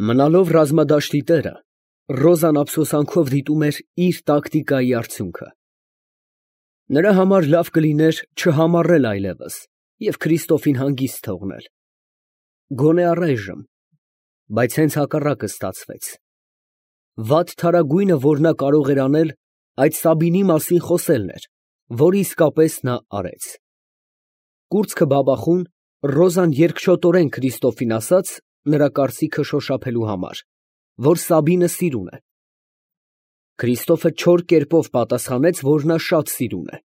Մնալով ռազմադաշտի տերը, Ռոզան ափսոսանքով դիտում էր իր տակտիկայի արդյունքը։ Նրա համար լավ կլիներ չհամառել այլևս և Քրիստոֆին հանգիստ թողնել։ Գոնե առայժմ, բայց հենց հակառակը ստացվեց։ Վատ թարագույնը, որ նա կարող էր անել, այդ Սաբինի մասին խոսելն էր, որ իսկապես նա արեց։ Կուրծքը բաբախուն, Ռոզան երկչոտորեն Քրիստոֆին ասաց, նրա կարծիքը շոշափելու համար, որ Սաբինը սիրուն է։ Քրիստոֆը չոր կերպով պատասխանեց, որ նա շատ սիրուն է։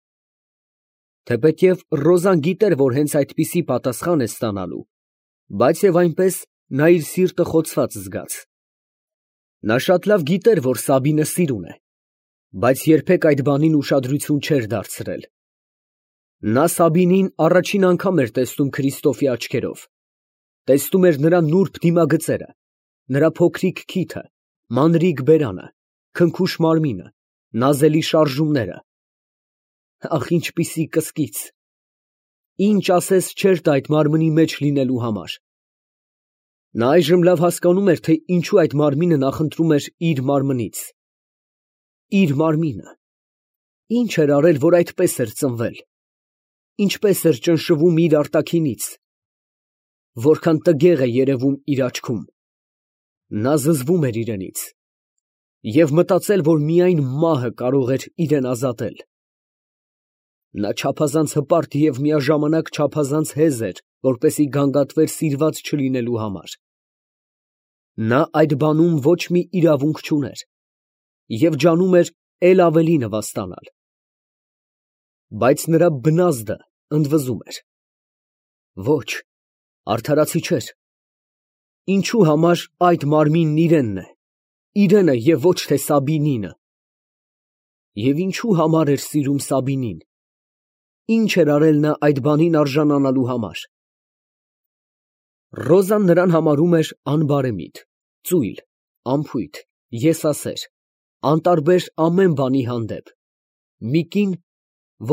Թեպետև Ռոզան գիտեր, որ հենց այդպիսի պատասխան է ստանալու, բայց և այնպես նա իր սիրտը խոցված զգաց։ Նա շատ լավ գիտեր, որ Սաբինը սիրուն է, բայց երբեք այդ բանին ուշադրություն չէր դարձրել։ Նա Սաբինին առաջին անգամ էր տեսնում Քրիստոֆի աչքերով, տեսնում էր նրա նուրբ դիմագծերը, նրա փոքրիկ քիթը, մանրիկ բերանը, քնքուշ մարմինը, նազելի շարժումները։ Ախ, ինչպիսի կսկիծ, ինչ ասես չէր տա այդ մարմնի մեջ լինելու համար։ Նա այժմ լավ հասկանում էր, թե ինչու այդ մարմինը նախընտրում էր իր մարմնից։ Իր մարմինը։ Ինչ էր արել, որ այդպես էր ծնվել, ինչպես էր ճնշվում իր արտաքինից, որքան տգեղ է երևում իր աչքում։ Նա զզվում էր իրենից և մտածել, որ միայն մահը կարող էր իրեն ազատել։ Նա չափազանց հպարտ և միաժամանակ չափազանց հեզ էր, որպեսզի գանգատվեր սիրված չլինելու համար։ Նա այդ բանում ոչ մի իրավունք չուներ և ջանում էր էլ ավելի նվաստանալ։ Բայց նրա բնազդը ընդվզում էր. ոչ, արդարացի չէր։ Ինչու համար այդ մարմինն իրենն է, իրենը և ոչ թե Սաբինինը։ Եվ ինչու համար էր սիրում Սաբինին, ինչ էր արել նա այդ բանին արժանանալու համար։ Ռոզան նրան համարում էր անբարեմիտ, ծույլ, անփույթ, եսասեր, անտարբեր ամեն բանի հանդեպ, մի կին,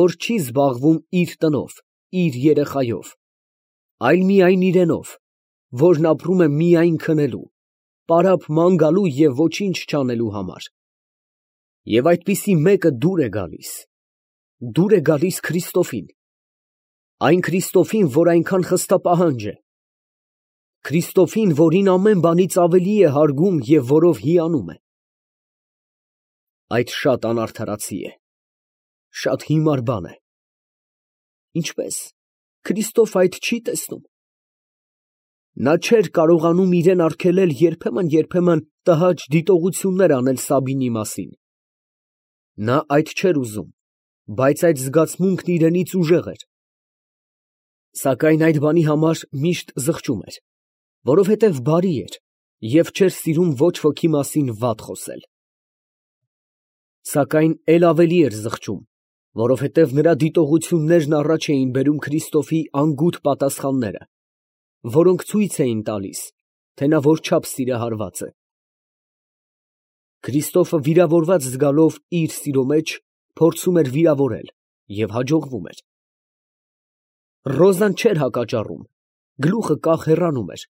որ չի զբաղվում իր տնով, իր երեխայով, այլ միայն իրենով, որն ապրում է միայն քնելու, պարապ ման գալու և ոչինչ չանելու համար։ Եվ այդպիսի մեկը դուր է գալիս Քրիստոֆին, այն Քրիստոֆին, որ այնքան խստապահանջ է, Քրիստոֆին, որին ամեն բանից ավելի է հարգում և որով հիանում է։ Այդ շատ անարդարացի է, շատ հիմար բան է։ Ինչպե՞ս, Քրիստոֆը այդ չի տեսնում։ Նա չէր կարողանում իրան արգելել երբեմն տհաճ դիտողություններ անել Սաբինի մասին։ Նա այդ չէր ուզում, բայց այդ զգացմունքն իրենից ուժեղ էր։ Սակայն այդ բանի համար միշտ զղջում էր, որովհետև բարի էր և չէր սիրում ոչ ոքի մասին վատ խոսել։ Սակայն էլ ավելի էր զղջում, որովհետև նրա դիտողություններն առաջ էին բերում Քրիստոֆի անգութ պատասխանները, որոնք ցույց էին տալիս, թե նա որչափ սիրահարված է։ Քրիստոֆը վիրավորված զգալով իր սիրո մեջ, փորձում էր վիրավորել և հաջողվում էր։ Ռոզան չէր հակաճառում, գլուխը կախ հեռանում էր,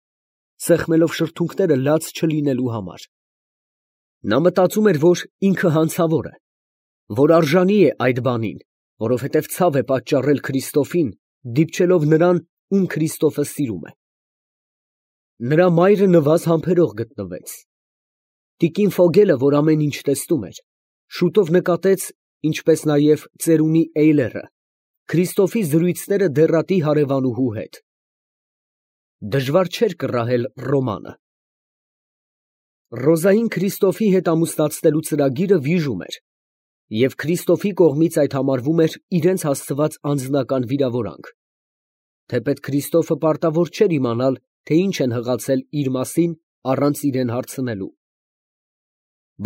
սեղմելով շրթունքները լաց չլինելու համար։ Նա մտածում էր, որ ինքը հանցավոր է, որ արժանի է այդ բանին, որովհետև ցավ է պատճառել Քրիստոֆին, դիպչելով նրան, ում Քրիստոֆը սիրում է։ Նրա մայրը նվազ համբերող գտնվեց։ Տիկին Ֆոգելը, որ ամեն ինչ տեսնում էր, շուտով նկատեց, ինչպես նաև ծերունի Էյլերը, Քրիստոֆի զրույցները դեռատի հարևանուհու հետ։ Դժվար չէր կռահել Ռոմանը։ Ռոզային Քրիստոֆի հետ ամուսնացնելու ծրագիրը վիժում էր, և Քրիստոֆի կողմից այդ համարվում էր իրենց հասցված անձնական վիրավորանք, թեպետ Քրիստոֆը պարտավոր չէր իմանալ, թե ինչ են հղացել իր մասին առանց իրան հարցնելու։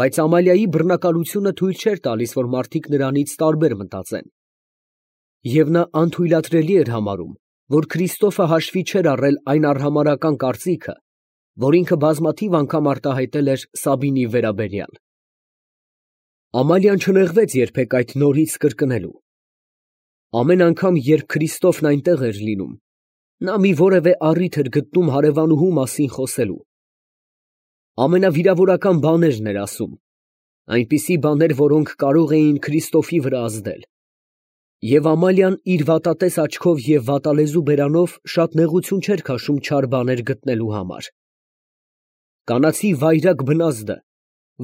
Բայց Ամալիայի բռնակալությունը թույլ չէր տալիս, որ մարդիկ նրանից տարբեր մտածեն, և նա անթույլատրելի էր համարում, որ Քրիստոֆը հաշվի չէր առել այն արհամարհական կարծիքը, որ ինքը բազմաթիվ անգամ արտահայտել էր Սաբինի վերաբերյալ։ Ամալիան չնեղվեց երբեք այդ նորից կրկնելու։ Ամեն անգամ, երբ Քրիստոֆն այնտեղ էր լինում, նա մի որևէ առիթ էր գտնում հարևանուհու մասին խոսելու։ ամենավիրավորական բաներն էր ասում, այնպիսի բաներ, որոնք կարող էին Քրիստոֆի վրա ազդել։ Եվ Ամալիան իր վատատես աչքով և վատալեզու բերանով շատ նեղություն չէր քաշում չար բաներ գտնելու համար։ Կանացի վայրագ բնազդը,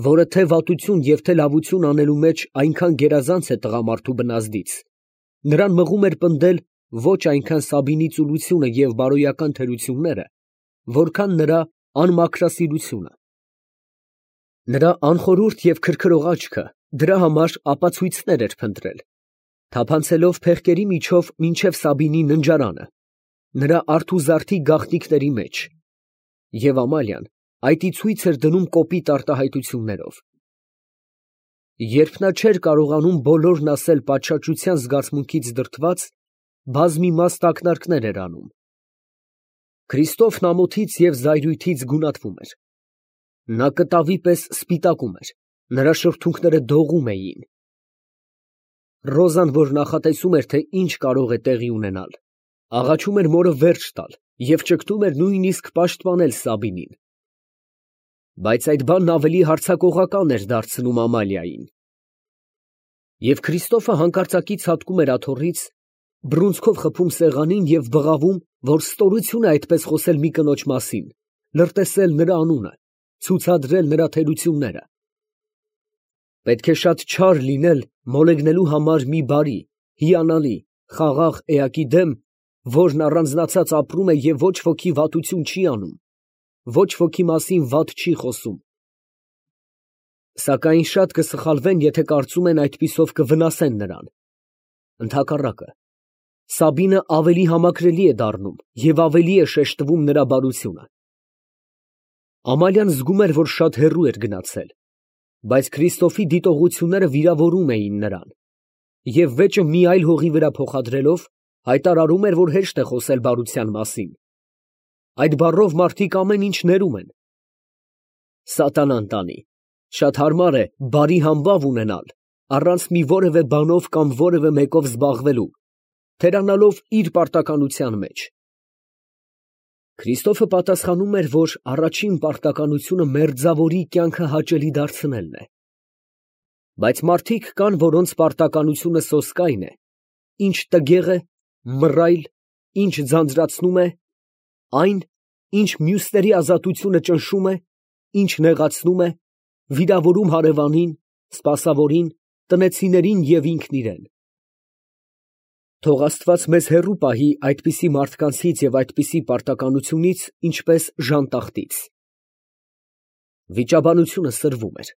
որը թե վատություն և թե լավություն անելու մեջ այնքան գերազանց է տղամարդու բնազդից, նրան մղում էր պնդել ոչ այնքան Սաբինի ծուլությունը և բարոյական թերությունները, որքան նրա անմաքրասիրությունը։ Նրա անխորհուրդ և քրքրող աչքը դրա համար ապացույցներ էր փնտրել, թափանցելով փեղկերի միջով մինչև Սաբինի ննջարանը, նրա արթուզարդի գաղտնիքների մեջ, և Ամալիան այդ ի ցույց էր դնում կոպիտ արտահայտություններով։ Երբ նա չէր կարողանում բոլորն ասել պատշաճության զգացմունքից դրդված, բազմիմաստ ակնարկներ էր անում։ Քրիստոֆն ամոթից և զայրույթից գունատվում էր։ Նա կտավի պես սպիտակում էր, նրա շրթունքները դողում էին։ Ռոզան, որ նախատեսում էր, թե ինչ կարող է տեղի ունենալ, աղաչում էր մորը վերջ տալ և ճգտում էր նույնիսկ պաշտպանել Սաբինին։ Բայց այդ բանն ավելի հարձակողական էր դարձնում Ամալիային։ Եվ Քրիստոֆը հանկարծակի ցատկում էր աթոռից, բռունցքով խփում սեղանին և բղավում, որ ստորություն է այդպես խոսել մի կնոջ մասին, լրտեսել նրա անունը, ցուցադրել նրա թերությունները։ Պետք է շատ չար լինել մոլեգնելու համար մի բարի, հիանալի, խաղաղ էակի դեմ, որն առանձնացած ապրում է և ոչ ոքի վատություն չի անում, ոչ ոքի մասին վատ չի խոսում։ Սակայն շատ կսխալվեն, եթե կարծում են այդպիսով կվնասեն նրան։ Ընդհակառակը, Սաբինը ավելի համակրելի է դառնում և ավելի է շեշտվում նրա բարությունը։ Ամալիան զգում էր, որ շատ հեռու էր գնացել, բայց Քրիստոֆի դիտողությունները վիրավորում էին նրան, և վեճը մի այլ հողի վրա փոխադրելով, հայտարարում էր, որ հեշտ է խոսել բարության մասին։ Այդ բառով մարդիկ ամեն ինչ ներում են։ Սատանան տանի, շատ հարմար է բարի համբավ ունենալ, առանց մի որևէ բանով կամ որևէ մեկով զբաղվելու, թերանալով իր պարտականության մեջ։ Քրիստոֆը պատասխանում էր, որ առաջին պարտականությունը մերձավորի կյանքը հաճելի դարձնելն է։ Բայց մարդիկ կան, որոնց պարտականությունը սոսկայն է, ինչ տգեղ է, մռայլ, ինչ ձանձրացնում է, այն, ինչ մյուսների ազատությունը ճնշում է, ինչ նեղացնում է, վիրավորում հարևանին, սպասավորին, տնեցիներին և ինքն իրեն։ Թող Աստված մեզ հեռու պահի այդպիսի մարդկանցից և այդպիսի պարտականությունից, ինչպես ժանտախտից։ Վիճաբանությունը սրվում էր։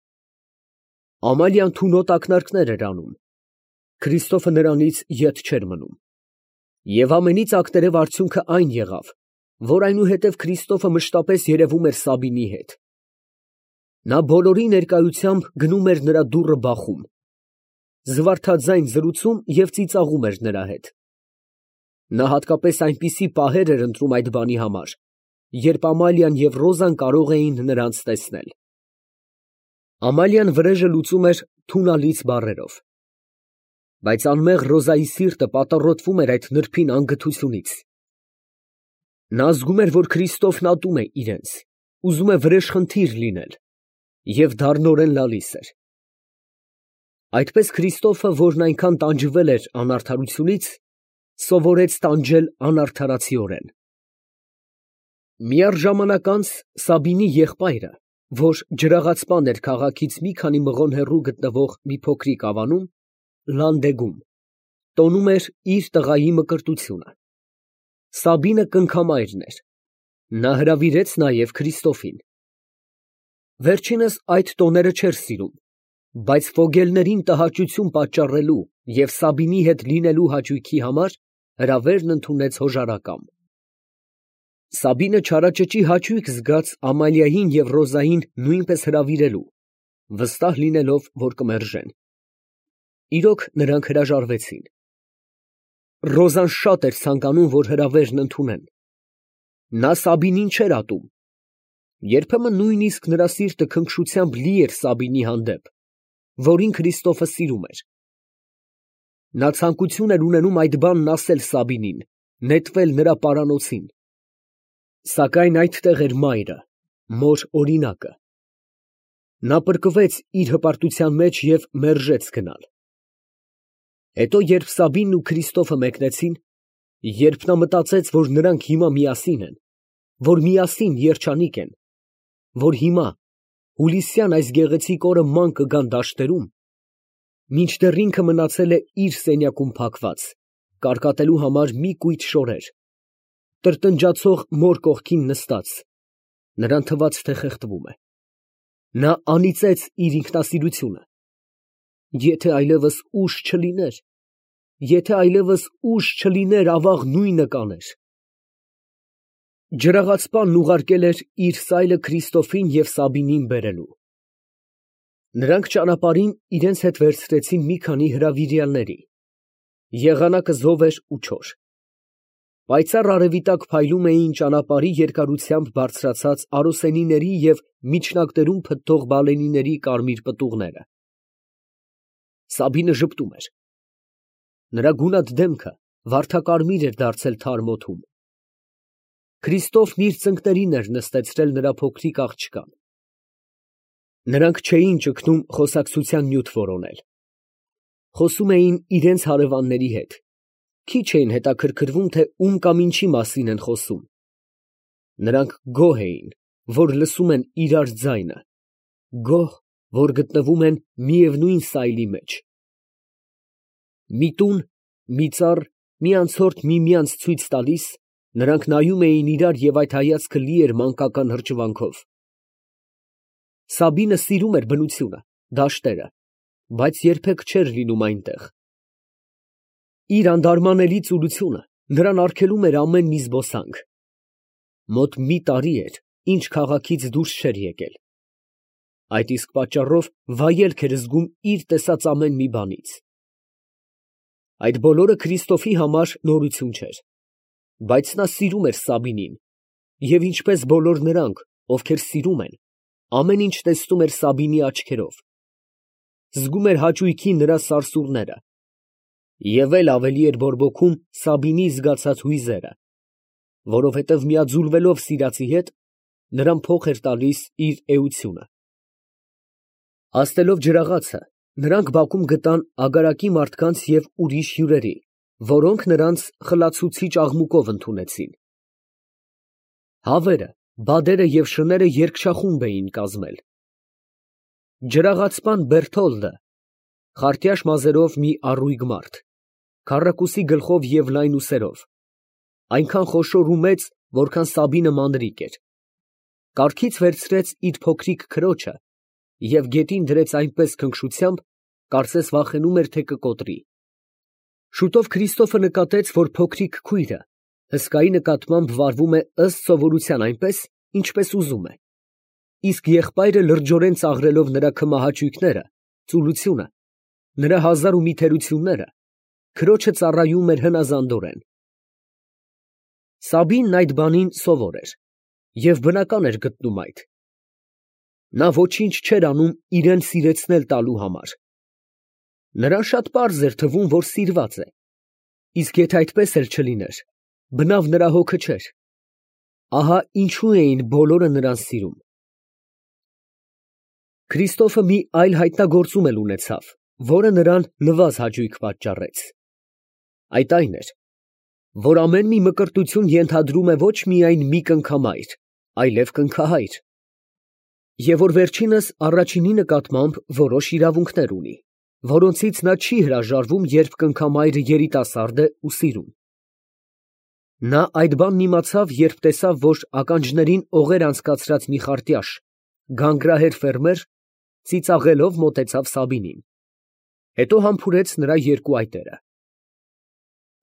Ամալիան թունոտ ակնարկներ էր անում։ Քրիստոֆը նրանից ետ չէր մնում։ Եվ ամենից ակտերև արդյունքը այն եղավ, որ այնուհետև Քրիստոֆը մշտապես երևում էր Սաբինի հետ։ Նա բոլորի ներկայությամբ գնում էր նրա դուռը բախում, զվարթաձայն զրուցում և ծիծաղում էր նրա հետ։ Նա հատկապես այնպիսի պահեր էր ընտրում այդ բանի համար, երբ Ամալիան և Ռոզան կարող էին նրանց տեսնել։ Ամալիան վրեժը լուծում էր թունալից բառերով, բայց անմեղ Ռոզայի սիրտը պատառոտվում էր այդ նրբին անգթությունից։ Նա զգում էր, որ Քրիստոֆն ատում է իրենց, ուզում է վրեժխնդիր լինել և դառնորեն լալիս էր։ Այդպես Քրիստոֆը, որն այնքան տանջվել էր անարդարությունից, սովորեց տանջել անարդարացիորեն։ Միառժամանակ անց Սաբինի եղբայրը, որ ջրաղացպան էր քաղաքից մի քանի մղոն հեռու գտնվող մի փոքրիկ ավանում, Լանդեգում, տոնում էր իր տղայի մկրտությունը։ Սաբինը կնքամայրն էր։ Նա հրավիրեց նաև Քրիստոֆին։ Վերջինս այդ տոները չէր սիրում, բայց ֆոգելներին տհաճություն պատճառելու և Սաբինի հետ լինելու հաճույքի համար հրավերն ընդունեց հոժարակամ։ Սաբինը չարաճճի հաճույք զգաց Ամալիային և Ռոզային նույնպես հրավիրելու, վստահ լինելով, որ կմերժեն։ Իրոք, նրանք հրաժարվեցին։ Ռոզան շատ էր ցանկանում, որ հրավերն ընդունեն։ Նա Սաբինին չէր ատում։ Երբեմն նույնիսկ նրա սիրտը քնքշությամբ լի էր Սաբինի հանդեպ, որին Քրիստոֆը սիրում էր։ Նա ցանկություն էր ունենում այդ բանն ասել Սաբինին, նետվել նրա պարանոցին։ Սակայն այդտեղ էր մայրը, մոր օրինակը։ Նա պրկվեց իր հպարտության մեջ և մերժեց գնալ։ Հետո, երբ Սաբինն ու Քրիստոֆը մեկնեցին, երբ նա մտածեց, որ նրանք հիմա միասին են, որ միասին երջանիկ են, որ հիմա հուլիսյան այս գեղեցիկ օրը ման կգան դաշտերում, մինչդեռ ինքը մնացել է իր սենյակում փակված, կարկատելու համար մի կույտ շորեր, տրտնջացող մոր կողքին նստած, նրան թվաց, թե խեղդվում է։ Նա անիծեց իր ինքնասիրությունը. եթե այլևս ուժ չլիներ, ավաղ նույնը կաներ։ Ջրաղացպանն ուղարկել էր իր սայլը Քրիստոֆին և Սաբինին բերելու։ Նրանք ճանապարհին իրենց հետ վերցրեցին մի քանի հրավիրյալների. եղանակը զով էր ու չոր։ Պայծառ արևի տակ փայլում էին ճանապարհի երկարությամբ բարձրացած արոսենիների և միջնակներում փթթող բալենիների կարմիր պտուղները։ Սաբինը ժպտում էր։ Նրա գունատ դեմքը վարդակարմիր էր դարձել թարմ օդում։ Քրիստոֆն իր ծնկներին էր նստեցրել նրա փոքրիկ աղջկան։ Նրանք չէին ճգնում խոսակցության նյութ որոնել։ Խոսում էին իրենց հարևանների հետ, քիչ էին հետաքրքրվում, թե ում կամ ինչի մասին են խոսում։ Նրանք գոհ էին, որ լսում են իրար ձայնը, գոհ, որ գտնվում են միևնույն սայլի մեջ։ Մի տուն, մի ծառ, մի անցորդ միմյանց ցույց տալիս, նրանք նայում էին իրար և այդ հայացքը լի էր մանկական հրճվանքով։ Սաբինը սիրում էր բնությունը, դաշտերը, բայց երբեք չէր լինում այնտեղ։ Իր անդարմանելի ծուլությունը նրան արգելում էր ամեն մի զբոսանք։ Մոտ մի տարի էր, ինչ քաղաքից դուրս չէր եկել։ Այդ իսկ պատճառով վայելք էր զգում իր տեսած ամեն մի բանից։ Այդ բոլորը Քրիստոֆի համար նորություն չէր, բայց նա սիրում էր Սաբինին և ինչպես բոլոր նրանք, ովքեր սիրում են, ամեն ինչ տեսնում էր Սաբինի աչքերով, զգում էր հաճույքի նրա սարսուռները և էլ ավելի էր բորբոքում Սաբինի զգացած հույզերը, որովհետև միաձուլվելով սիրածի հետ, նրան փոխ էր տալիս իր էությունը։ Հասնելով ջրաղացը, նրանք բակում գտան ագարակի մարդկանց և ուրիշ հյուրերի, որոնք նրանց խլացուցիչ աղմուկով ընդունեցին։ Հավերը, բադերը և շները երգչախումբ էին կազմել։ Ջրաղացպան Բերթոլդը, խարտյաշ մազերով մի առույգ մարդ, քառակուսի գլխով և լայն ուսերով, այնքան խոշոր ու մեծ, որքան Սաբինը մանրիկ էր, կառքից վերցրեց իր փոքրիկ քրոջը և գետին դրեց այնպես քնքշությամբ, կարծես վախենում էր, թե կկոտրի։ Շուտով Քրիստոֆը նկատեց, որ փոքրիկ քույրը հսկայի նկատմամբ վարվում է ըստ սովորության այնպես, ինչպես ուզում է, իսկ եղբայրը լրջորեն ծաղրելով նրա քմահաճույքները, ծուլությունը, նրա հազար ու մի թերությունները, քրոջը ծառայում էր հնազանդորեն։ Սաբինն այդ բանին սովոր էր և բնական էր գտնում այդ։ Նա ոչինչ չէր անում իրան սիրեցնել տալու համար։ Նրան շատ պարզ էր թվում, որ սիրված է, իսկ եթե այդպես էլ չլիներ, բնավ նրա հոգը չէր։ Ահա ինչու էին բոլորը նրան սիրում։ Քրիստոֆը մի այլ հայտնագործում էլ ունեցավ, որը նրան նվազ հաճույք պատճառեց։ Այդ այն էր, որ ամեն մի մկրտություն ենթադրում է ոչ միայն մի կնքամայր, այլև կնքահայր, և որ վերջինս առաջինի նկատմամբ որոշ իրավունքներ ունի, որոնցից նա չի հրաժարվում, երբ կնքամայրը երիտասարդ է ու սիրում։ Նա այդ բանն իմացավ, երբ տեսավ, որ ականջներին օղեր անցկացրած մի խարտյաշ, գանգրահեր ֆերմեր, ծիծաղելով մոտեցավ Սաբինին, հետո համբուրեց նրա երկու այտերը։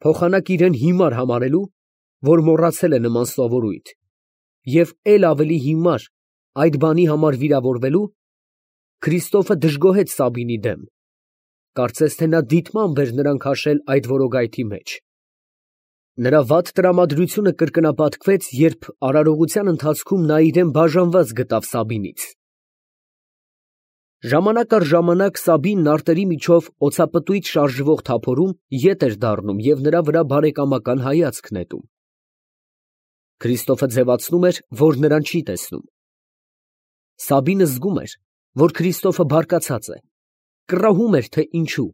Փոխանակ իրան հիմար համարելու, որ մոռացել է նման սովորույթ, և էլ ավելի հիմար այդ բանի համար վիրավորվելու, Քրիստոֆը դժգոհեց Սաբինի դեմ, կարծես թե նա դիտմամբ էր նրան քաշել այդ որոգայթի մեջ։ Նրա վատ տրամադրությունը կրկնապատկվեց, երբ արարողության ընթացքում նա իրան բաժանված գտավ Սաբինից։ Ժամանակ առ ժամանակ Սաբինն արտերի միջով օձապտույտ շարժվող թափորում ետ էր դառնում և նրա վրա բարեկամական հայացք նետում։ Քրիստոֆը ձևացնում էր, որ նրան չի տեսնում, Սաբինը զգում էր, որ Քրիստոֆը բարկացած է, կռահում էր, թե ինչու,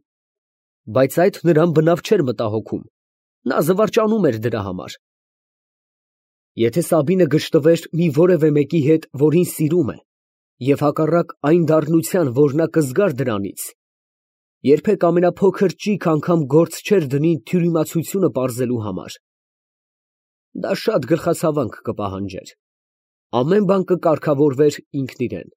բայց այդ նրան բնավ չէր մտահոգում, նա զվարճանում էր դրա համար։ Եթե Սաբինը գժտվեր մի որևէ մեկի հետ, որին սիրում է, և հակառակ այն դառնության, որ նա կզգար դրանից, երբեք ամենափոքր ճիգ անգամ գործ չէր դնի թյուրիմացությունը պարզելու համար, դա շատ գլխացավանք կպահանջեր, ամեն բան կկարգավորվեր ինքն իրան։